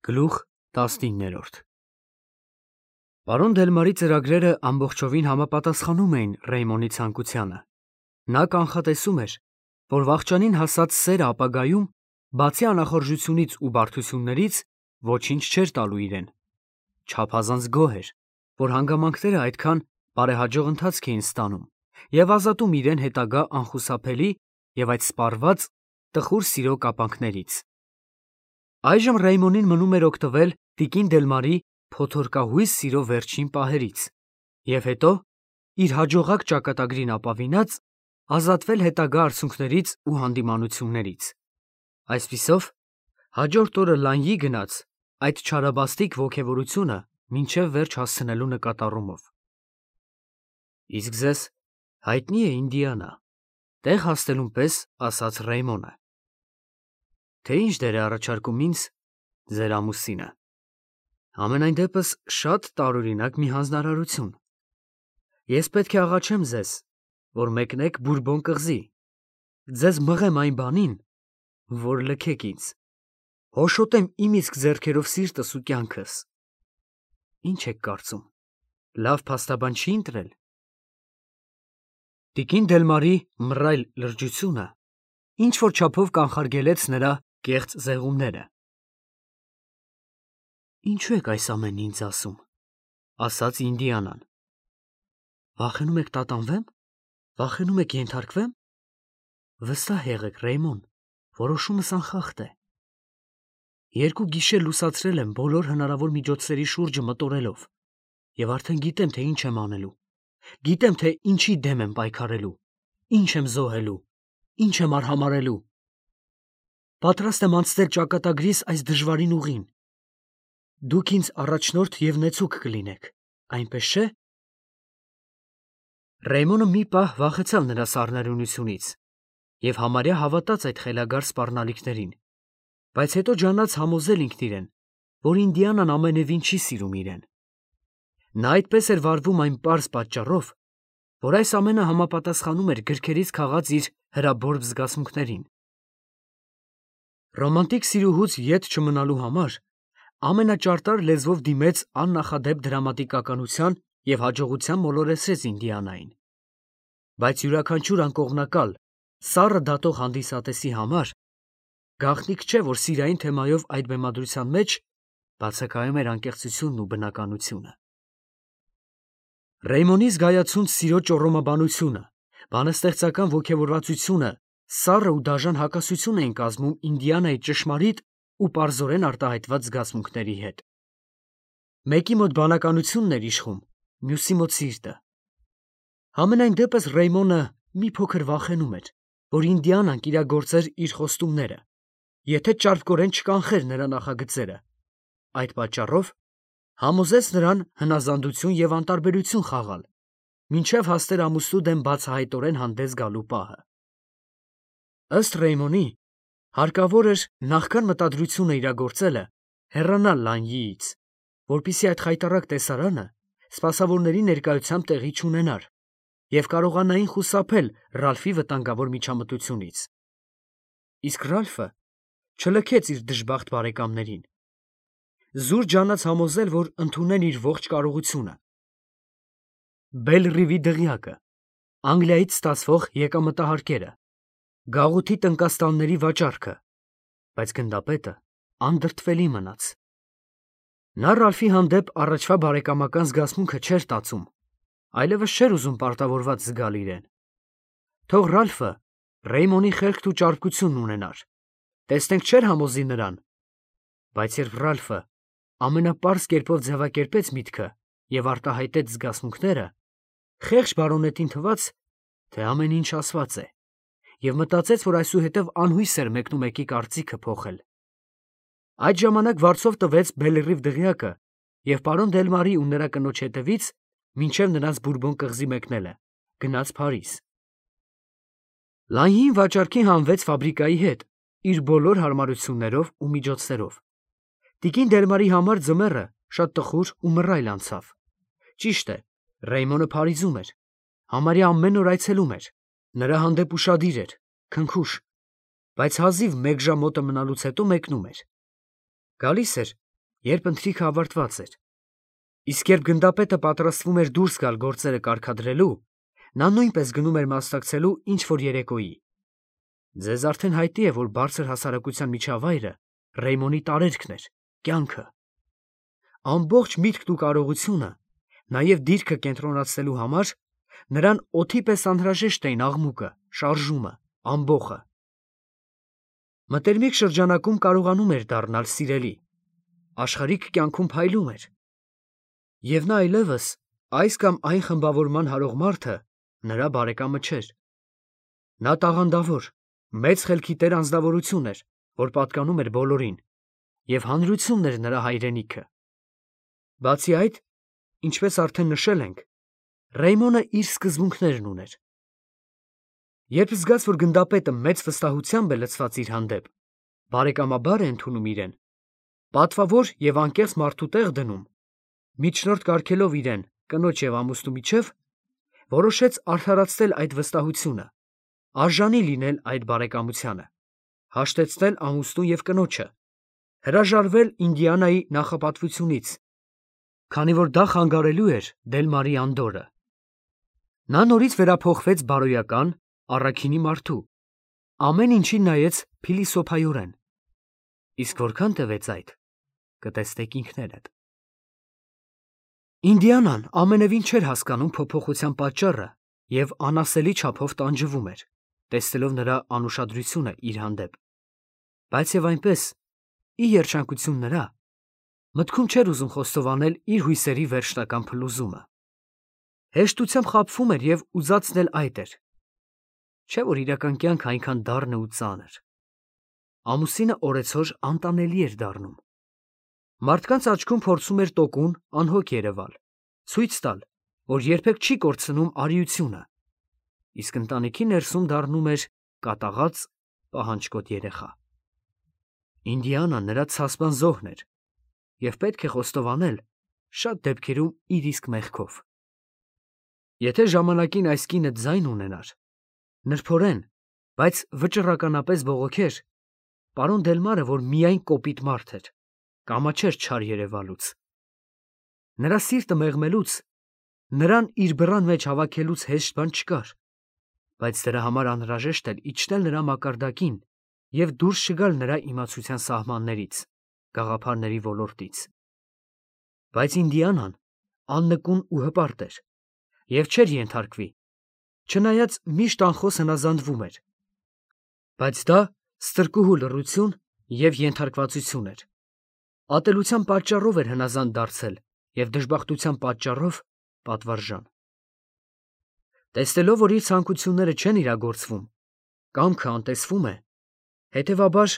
Գլուխ 19 Պարոն Դելմարի ծրագրերը ամբողջովին համապատասխանում էին Ռեյմոնի ցանկությանը։ Նա կանխատեսում էր, որ վախճանին հասած սերը ապագայում, բացի անախորժությունից ու բարդություններից, ոչինչ չէր տալու իրեն։ Չափազանց գոհ էր, որ հանգամանքները այդքան բարեհաջող ընթացք էին ստանում և ազատում իրեն հետագա անխուսափելի և այդ սպառված տխուր սիրո կապանքներից։ Այժմ Ռեյմոնին մնում էր օգտվել տիկին Դելմարի փոթորկահույս սիրո վերջին պահերից և հետո, իր հաջողակ ճակատագրին ապավինած, ազատվել հետագա արցունքներից ու հանդիմանություններից։ Այսպիսով, հաջորդ օրը Լանյի գնաց այդ չարաբաստիկ ոգևորությունը մինչև վերջ հասցնելու նկատառումով։ Իսկ ձեզ հայտնի է Ինդիանա, տեղ հասնելուն պես ասաց Ռեյմոնը։ Թե ինչ դեր է առաջարկում ինձ ձեր ամուսինը։ Համենայն դեպս շատ տարօրինակ մի հանձնարարություն։ Ես պետք է աղաչեմ ձեզ, որ մեկնեք Բուրբոն կղզի, ձեզ մղեմ այն բանին, որ լքեք ինձ, հոշոտեմ իմ իսկ ձեռքերով սիրտս ու կյանքս։ Ինչ եք կարծում, լավ փաստաբան չի ընտրել։ Տիկին Դելմարի մռայլ լրջությունը ինչ-որ չափով կանխարգելեց նրա կեղծ զեղումները։ Ինչու եք այս ամենն ինձ ասում, ասաց Ինդիանան։ Վախենում եք տատանվեմ, վախենում եք ենթարկվեմ։ Վստահ եղեք, Ռեյմոն, որոշումս անխախտ է։ Երկու գիշեր լուսացրել եմ բոլոր հնարավոր միջոցների շուրջը մտորելով և արդեն գիտեմ, թե ինչ եմ անելու, գիտեմ, թե ինչի դեմ եմ պայքարելու, ինչ եմ զոհելու, ինչ եմ արհամարհելու։ Պատրաստ եմ անցնել ճակատագրիս այս դժվարին ուղին։ Դուք ինձ առաջնորդ և նեցուկ կլինեք, այնպես չէ՞։ Ռեյմոնը մի պահ վախեցավ նրա սառնարյունությունից և համարյա հավատաց այդ խելագար սպառնալիքներին, բայց հետո ջանաց համոզել ինքն իրեն, որ Ինդիանան ամենևին չի սիրում իրեն։ Նա այդպես էր վարվում այն պարզ պատճառով, որ այս ամենը համապատասխանում էր գրքերից քաղած իր հրաբորբ զգացմունքներին։ Ռոմանտիկ սիրուհուց ետ չմնալու համար ամենաճարտար լեզվով դիմեց աննախադեպ դրամատիկականության և հաջողության մոլորեցրեց Ինդիանային։ Բայց յուրաքանչյուր անկողմնակալ, սառը դատող հանդիսատեսի համար գաղտնիք չէ, որ սիրային թեմայով այդ բեմադրության մեջ բացակայում էր անկեղծությունն ու բնականությունը։ Ռեյմոնի զգայացունց սիրո ճոռոմաբանությունը, բանաստեղծական ոգևորվածությունը սառը ու դաժան հակասություն էին կազմում Ինդիանայի ճշմարիտ ու պարզորեն արտահայտված զգացմունքների հետ։ Մեկի մոտ բանականությունն էր իշխում, մյուսի մոտ սիրտը։ Համենայն դեպս Ռեյմոնը մի փոքր վախենում էր, որ Ինդիանան կիրագործեր իր խոստումները, եթե ճարպկորեն չկանխեր նրա նախագծերը։ Այդ պատճառով համոզեց նրան հնազանդություն և անտարբերություն խաղալ, մինչև հասներ ամուսնու դեմ բացահայտորեն հանդես գալու պահը։ Ըստ Ռեյմոնի, հարկավոր էր նախքան մտադրությունը իրագործելը հեռանալ Լանյիից, որպեսզի այդ խայտառակ տեսարանը սպասավորների ներկայությամբ տեղի չունենար և կարողանային խուսափել Ռալֆի վտանգավոր միջամտությունից։ Իսկ Ռալֆը չլքեց իր դժբախտ բարեկամներին։ Զուր ջանաց համոզել, որ ընդունեն իր ողջ կարողությունը։ Բել-Ռիվի դղյակը, Անգլիայից ստացվող եկամտահարկերը, գաղութի տնկաստանների վաճառքը, բայց գնդապետը անդրդվելի մնաց։ Նա Ռալֆի հանդեպ առաջվա բարեկամական զգացմունքը չէր տածում, այլևս չէր ուզում պարտավորված զգալ իրեն։ Թող Ռալֆը Ռեյմոնի խելքն ու ճարպկությունն ունենար, տեսնենք չէր համոզի նրան։ Բայց երբ Ռալֆը ամենապարզ կերպով ձևակերպեց միտքը և արտահայտեց զգացմունքները, խեղճ բարոնետին թվաց, թե ամեն ինչ ասված է, և մտածեց, որ այսուհետև անհույս էր մեկնումեկի կարծիքը փոխել։ Այդ ժամանակ վարձով տվեց Բել-Ռիվ դղյակը և պարոն Դելմարի ու նրա կնոջ հետևից, մինչև նրանց Բուրբոն կղզի մեկնելը, գնաց Փարիզ։ Լանյին վաճառքի հանվեց ֆաբրիկայի հետ, իր բոլոր հարմարություններով ու միջոցներով։ Տիկին Դելմարի համար ձմեռը շատ տխուր ու մռայլ անցավ։ Ճիշտ է, Ռեյմոնը Փարիզում էր, համարյա ամեն օր այցելում էր, նրա հանդեպ ուշադիր էր, քնքուշ, բայց հազիվ մեկ ժամ մոտը մնալուց հետո մեկնում էր։ Գալիս էր երբ ընթրիքը ավարտված էր։ Իսկ երբ գնդապետը պատրաստվում էր դուրս գալ գործերը կարգադրելու, նա նույնպես գնում էր մասնակցելու ինչ-որ երեկոյի։ Ձեզ արդեն հայտնի է, որ բարձր հասարակության միջավայրը Ռեյմոնի տարերքն էր, կյանքը։ Ամբողջ միտքն ու կարողությունը, նաև դիրքը կենտրոնացնելու համար նրան օդի պես անհրաժեշտ էին աղմուկը, շարժումը, ամբոխը։ Մտերմիկ շրջանակում կարողանում էր դառնալ սիրելի, աշխարհիկ կյանքում փայլում էր։ Եվ նա այլևս այս կամ այն խմբավորման հարող մարդը նրա բարեկամը չէր։ Նա տաղանդավոր, մեծ խելքի տեր անձնավորություն էր, որ պատկանում էր բոլորին, և հանրությունն էր նրա հայրենիքը։ Բացի այդ, ինչպես արդեն նշել ենք, Ռեյմոնը իր սկզբունքներն ուներ։ Երբ զգաց, որ գնդապետը մեծ վստահությամբ է լցված իր հանդեպ, բարեկամաբար է ընդունում իրեն, պատվավոր և անկեղծ մարդու տեղ դնում, միջնորդ կարգելով իրեն կնոջ և ամուսնու միջև, որոշեց արդարացնել այդ վստահությունը, արժանի լինել այդ բարեկամությանը, հաշտեցնել ամուսնուն և կնոջը, հրաժարվել Ինդիանայի նախապատվությունից, քանի որ դա խանգարելու էր Դելմարի անդորրը։ Նա նորից վերափոխվեց բարոյական, առաքինի մարդու, ամեն ինչին նայեց փիլիսոփայորեն։ Իսկ որքան տևեց այդ, կտեսնեք ինքներդ։ Ինդիանան ամենևին չէր հասկանում փոփոխության պատճառը և անասելի չափով տանջվում էր, տեսնելով նրա անուշադրությունը իր հանդեպ, բայց և այնպես, ի երջանկություն նրա, մտքում չէր ուզում խոստովանել իր հույսերի վերջնական փլուզումը։ Հեշտությամբ խաբվում էր և ուզածն էլ այդ էր, չէ՞ որ իրական կյանքը այնքան դառն է ու ծանր։ Ամուսինը օրեցօր անտանելի էր դառնում։ Մարդկանց աչքում փորձում էր տոկուն, անհոգ երևալ, ցույց տալ, որ երբեք չի կորցնում արիությունը, իսկ ընտանիքի ներսում դառնում էր կատաղած, պահանջկոտ երեխա։ Ինդիանան նրա ցասպան զոհն էր, և պետք է խոստովանել, շատ դեպքերում իր իսկ մեղքով։ Եթե ժամանակին այս կինը ձայն ունենար, նրբորեն, բայց վճռականապես բողոքեր, պարոն Դելմարը, որ միայն կոպիտ մարդ էր, կամաչեր չար երևալուց։ Նրա սիրտը մեղմելուց, նրան իր բռան մեջ հավաքելուց հեշտ բան չկար, բայց դրա համար անհրաժեշտ էր իջնել նրա մակարդակին և դուրս չգալ նրա իմացության սահմաններից, գաղափարների ոլորտից։ Բայց Ինդիանան աննկուն ու հպարտ էր և չէր ենթարկվի, չնայած միշտ անխոս հնազանդվում էր, բայց դա ստրկուհու լռություն և ենթարկվածություն էր։ Ատելության պատճառով էր հնազանդ դարձել և դժբախտության պատճառով պատվարժան։ Տեսնելով, որ իր ցանկությունները չեն իրագործվում, կամքը անտեսվում է, հետևաբար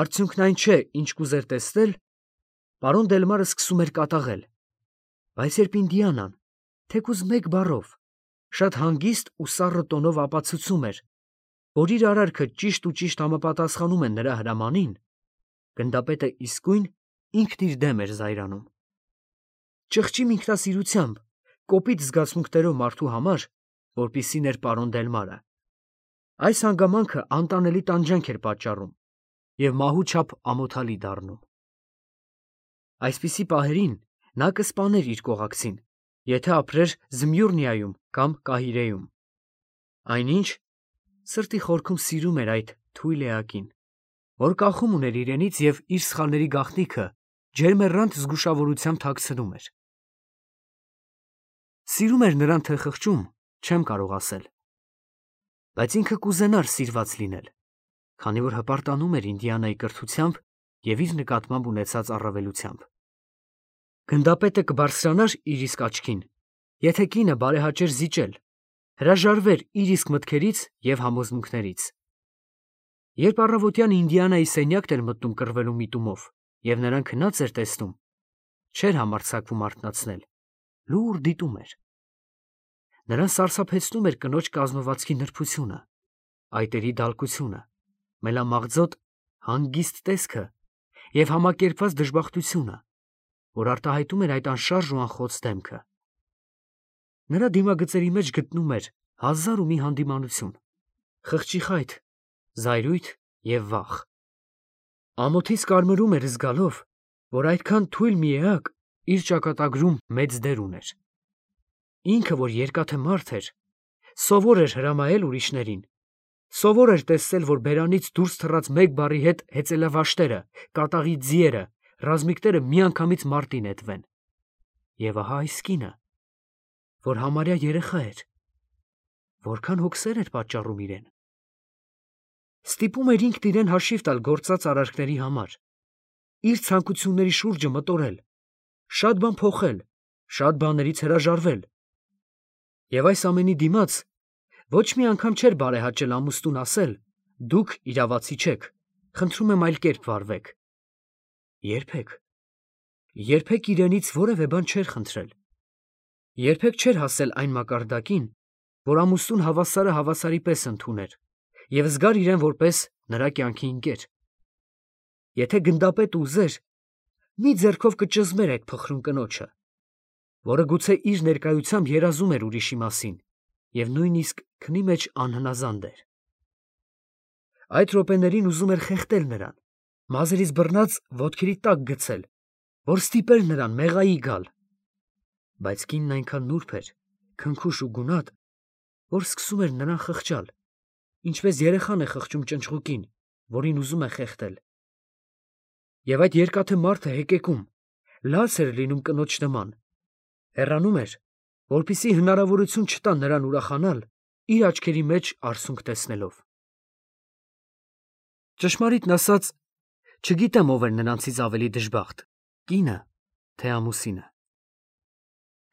արդյունքն այն չէ, ինչ կուզեր տեսնել, պարոն Դելմարը սկսում էր կատաղել, բայց երբ Ինդիանան, թեկուզ մեկ բառով, շատ հանգիստ ու սառը տոնով ապացուցում էր, որ իր արարքը ճիշտ ու ճիշտ համապատասխանում է նրա հրամանին, գնդապետը իսկույն ինքն իր դեմ էր զայրանում։ Ճղճիմ ինքնասիրությամբ, կոպիտ զգացմունքներով մարդու համար, որպիսին էր պարոն Դելմարը, այս հանգամանքը անտանելի տանջանք էր պատճառում և մահու չափ ամոթալի դառնում։ Այսպիսի պահերին նա կսպաներ իր կողակցին, եթե ապրեր Զմյուռնիայում կամ Կահիրեում։ Այնինչ սրտի խորքում սիրում էր այդ թույլ էակին, որ կախում ուներ իրենից և իր սխալների գաղտնիքը ջերմեռանդ զգուշավորությամբ թաքցնում էր։ Սիրում էր նրան թե խղճում, չեմ կարող ասել, բայց ինքը կուզենար սիրված լինել, քանի որ հպարտանում էր Ինդիանայի կրթությամբ և իր նկատմամբ ունեցած առավելությամբ։ Գնդապետը կբարձրանար իր իսկ աչքին, եթե կինը բարեհաճեր զիջել, հրաժարվեր իր իսկ մտքերից և համոզմունքներից։ Երբ առավոտյան Ինդիանայի սենյակն էր մտնում կռվելու միտումով և նրան քնած էր տեսնում, չէր համարձակվում արթնացնել, լուռ դիտում էր։ Նրան սարսափեցնում էր կնոջ կազմվածքի նրբությունը, այտերի դալկությունը, մելամաղձոտ հանգիստ տեսքը և համակերպված դժբախտությունը, որ արտահայտում էր այդ անշարժ ու անխոց դեմքը։ Նրա դիմագծերի մեջ գտնում էր հազար ու մի հանդիմանություն, խղճի խայթ, զայրույթ և վախ։ Ամոթից կարմրում էր զգալով, որ այդքան թույլ մի էակ իր ճակատագրում մեծ դեր ուներ։ Ինքը, որ երկաթե մարդ էր, սովոր էր հրամայել ուրիշներին, սովոր էր տեսել, որ բերանից դուրս թռած մեկ բառի հետ հեծելավաշտերը, կատաղի ձիերը, ռազմիկները միանգամից մարտի նետվեն։ Եվ ահա այս կինը, որ համարյա երեխա էր, որքան հոգսեր էր պատճառում իրեն։ Ստիպում էր ինքն իրեն հաշիվ տալ գործած արարքների համար, իր ցանկությունների շուրջը մտորել, շատ բան փոխել, շատ բաներից հրաժարվել։ Եվ այս ամենի դիմաց ոչ մի անգամ չէր բարեհաճել ամուսնուն ասել. «Դուք իրավացի չեք, խնդրում եմ այլ կերպ վարվեք»։ Երբեք, երբեք իրենից որևէ բան չէր խնդրել։ Երբեք չէր հասել այն մակարդակին, որ ամուսնուն հավասարը հավասարի պես ընդուներ և զգար իրեն որպես նրա կյանքի ընկեր։ Եթե գնդապետը ուզեր, մի ձեռքով կճզմեր այդ փխրուն կնոջը, որը գուցե իր ներկայությամբ երազում էր ուրիշի մասին և նույնիսկ քնի մեջ անհնազանդ էր։ Այդ րոպեներին ուզում էր խեղդել նրան, մազերից բռնած ոտքերի տակ գցել, որ ստիպեր նրան մեղայի գալ։ Բայց կինն այնքան նուրբ էր, քնքուշ ու գունատ, որ սկսում էր նրան խղճալ, ինչպես երեխան է խղճում ճնճղուկին, որին ուզում է խեղդել։ Եվ այդ երկաթե մարդը հեկեկում, լաց էր լինում կնոջ նման, հեռանում էր, որպեսզի հնարավորություն չտա նրան ուրախանալ իր աչքերի մեջ արցունք տեսնելով։ Ճշմարիտն ասած, չգիտեմ ով էր նրանցից ավելի դժբախտ, կինը, թե ամուսինը։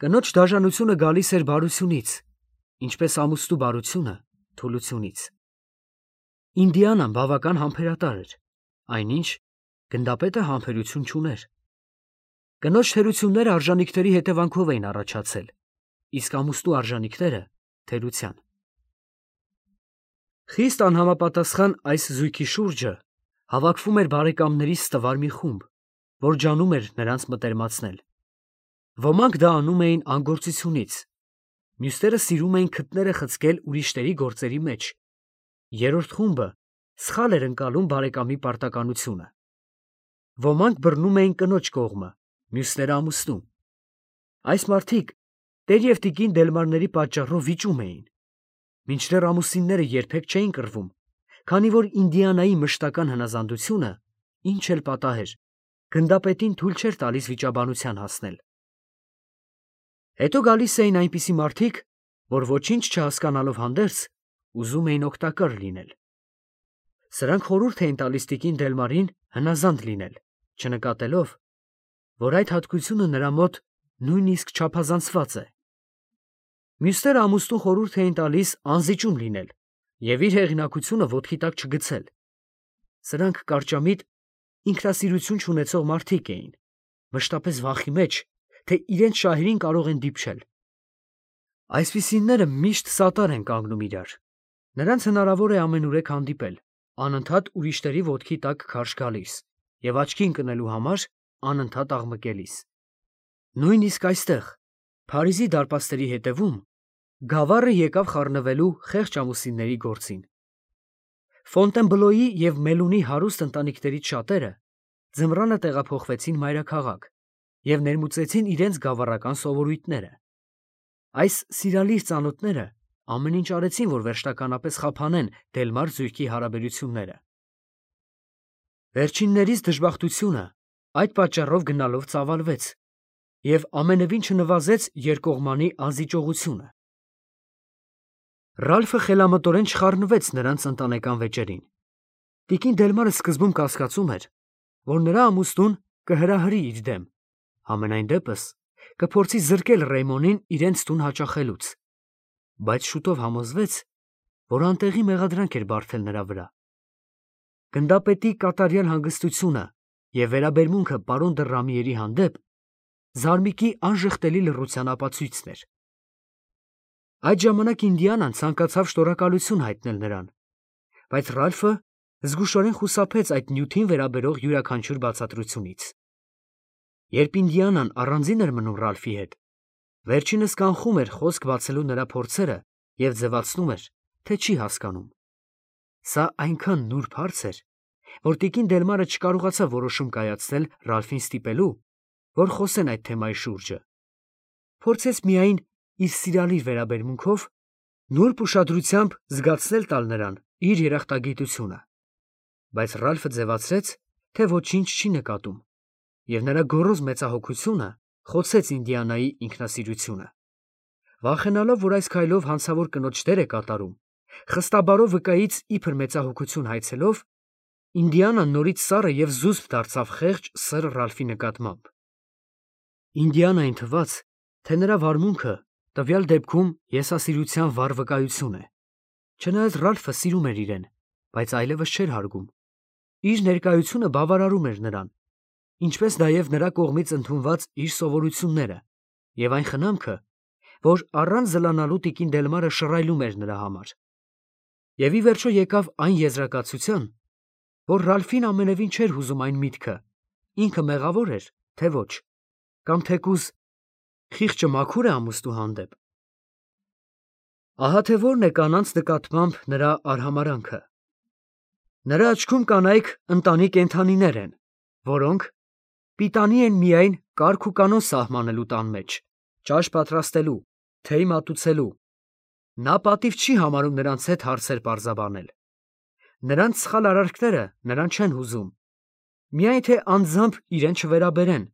Կնոջ դաժանությունը գալիս էր բարությունից, ինչպես ամուսնու բարությունը թուլությունից։ Ինդիանան բավական համբերատար էր, այնինչ գնդապետը համբերություն չուներ։ Կնոջ թերությունները արժանիքների հետևանքով էին առաջացել, իսկ ամուսնու արժանիքները թերության։ Խիստ անհամապատասխան այս զույգի շուրջը հավաքվում էր բարեկամներից ստվար մի խումբ, որ ջանում էր նրանց մտերմացնել։ Ոմանք դա անում էին անգործությունից, մյուսները սիրում էին քթները խցկել ուրիշների գործերի մեջ։ Երրորդ խումբը սխալ էր ընկալում բարեկամի պարտականությունը։ Ոմանք բռնում էին կնոջ կողմը, մյուսները ամուսնու։ Այս մարդիկ տեր և տիկին Դելմարների պատճառով վիճում էին, մինչդեռ ամուսինները երբեք չէին կռվում, քանի որ Ինդիանայի մշտական հնազանդությունը, ինչ էլ պատահեր, գնդապետին թույլ չէր տալիս վիճաբանության հասնել։ Հետո գալիս էին այնպիսի մարդիկ, որ ոչինչ չհասկանալով հանդերձ, ուզում էին օգտակար լինել։ Սրանք խորհուրդ էին տալիս տիկին Դելմարին հնազանդ լինել, չնկատելով, որ այդ հատկությունը նրա մոտ նույնիսկ չափազանցված է։ Մյուսները ամուսնուն խորհուրդ էին տալիս անզիջում լինել և իր հեղինակությունը ոտքի տակ չգցել։ Սրանք կարճամիտ, ինքնասիրություն չունեցող մարդիկ էին, մշտապես վախի մեջ, թե իրենց շահերին կարող են դիպչել։ Այսպիսիները միշտ սատար են կանգնում իրար։ Նրանց հնարավոր է ամենուրեք հանդիպել, անընդհատ ուրիշների ոտքի տակ քարշ գալիս և աչքի ընկնելու համար անընդհատ աղմկելիս։ Նույնիսկ այստեղ, Փարիզի դարպասների հետևում, գավառը եկավ խառնվելու խեղճ ամուսինների գործին։ Ֆոնտենբլոյի և Մելունի հարուստ ընտանիքներից շատերը ձմռանը տեղափոխվեցին մայրաքաղաք և ներմուծեցին իրենց գավառական սովորույթները։ Այս սիրալիր ծանոթները ամեն ինչ արեցին, որ վերջնականապես խափանեն Դելմար զույգի հարաբերությունները։ Վերջիններիս դժբախտությունը այդ պատճառով գնալով ծավալվեց և ամենևին չնվազեց երկկողմանի անզիջողությունը։ Ռալֆը խելամտորեն չխառնվեց նրանց ընտանեկան վեճերին։ Տիկին Դելմարը սկզբում կասկածում էր, որ նրա ամուսնուն կհրահրի իր դեմ, համենայն դեպս կփորձի զրկել Ռեյմոնին իրենց տուն հաճախելուց, բայց շուտով համոզվեց, որ անտեղի մեղադրանք էր բարդել նրա վրա։ Գնդապետի կատարյալ հանգստությունը և վերաբերմունքը պարոն դը Ռամիերի հանդեպ զարմիկի անժխտելի լռության ապացույցն էր։ Այդ ժամանակ Ինդիանան ցանկացավ շնորհակալություն հայտնել նրան, բայց Ռալֆը զգուշորեն խուսափեց այդ նյութին վերաբերող յուրաքանչյուր բացատրությունից։ Երբ Ինդիանան առանձին էր մնում Ռալֆի հետ, վերջինս կանխում էր խոսք բացելու նրա փորձերը և ձևացնում էր, թե չի հասկանում։ Սա այնքան նուրբ հարց էր, որ տիկին Դելմարը չկարողացավ որոշում կայացնել Ռալֆին ստիպելու, որ խոսեն այդ թեմայի շուրջը։ Փորձեց միայն իր սիրալիր վերաբերմունքով նուրբ ուշադրությամբ զգացնել տալ նրան իր երախտագիտությունը, բայց Ռալֆը ձևացրեց, թե ոչինչ չի նկատում, և նրա գոռոզ մեծահոգությունը խոցեց Ինդիանայի ինքնասիրությունը։ Վախենալով, որ այս քայլով հանցավոր կնոջ դեր է կատարում, խստաբարով վկայից իբր մեծահոգություն հայցելով, Ինդիանան նորից սառը և զուսպ դարձավ խեղճ սըր Ռալֆի նկատմամբ։ Ինդիանային թվաց, թե նրա վարմունքը տվյալ դեպքում եսասիրության վառ վկայություն է, չնայած Ռալֆը սիրում էր իրեն, բայց այլևս չէր հարգում։ Իր ներկայությունը բավարարում էր նրան, ինչպես նաև նրա կողմից ընդունված իր սովորությունները և այն խնամքը, որ առանց զլանալու տիկին Դելմարը շռայլում էր նրա համար։ Եվ ի վերջո եկավ այն եզրակացության, որ Ռալֆին ամենևին չէր հուզում այն միտքը, ինքը մեղավոր էր, թե ոչ, կամ թեկուզ խիղճը մաքուր է ամուսնու հանդեպ։ Ահա թե որն է կանանց նկատմամբ նրա արհամարհանքը։ Նրա աչքում կանայք ընտանի կենդանիներ են, որոնք պիտանի են միայն կարգ ու կանոն սահմանելու տան մեջ, ճաշ պատրաստելու, թեյ մատուցելու։ Նա պատիվ չի համարում նրանց հետ հարցեր պարզաբանել։ Նրանց սխալ արարքները նրան չեն հուզում, միայն թե անձամբ իրեն չվերաբերեն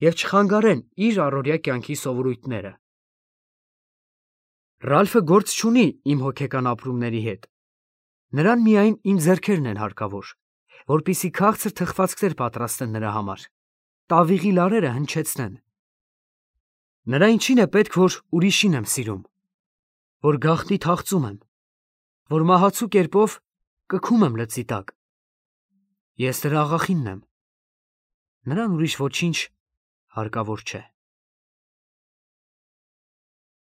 և չխանգարեն իր առօրյա կյանքի սովորույթները։ Ռալֆը գործ չունի իմ հոգեկան ապրումների հետ։ Նրան միայն իմ ձեռքերն են հարկավոր, որպեսզի քաղցր թխվածքներ պատրաստեն նրա համար, տավիղի լարերը հնչեցնեն։ Նրա ինչին է պետք, որ ուրիշին եմ սիրում, որ գաղտնի թախծում եմ, որ մահացու կերպով կքում եմ լծի տակ։ Ես դրա աղախինն եմ, նրան ուրիշ ոչինչ հարկավոր չէ։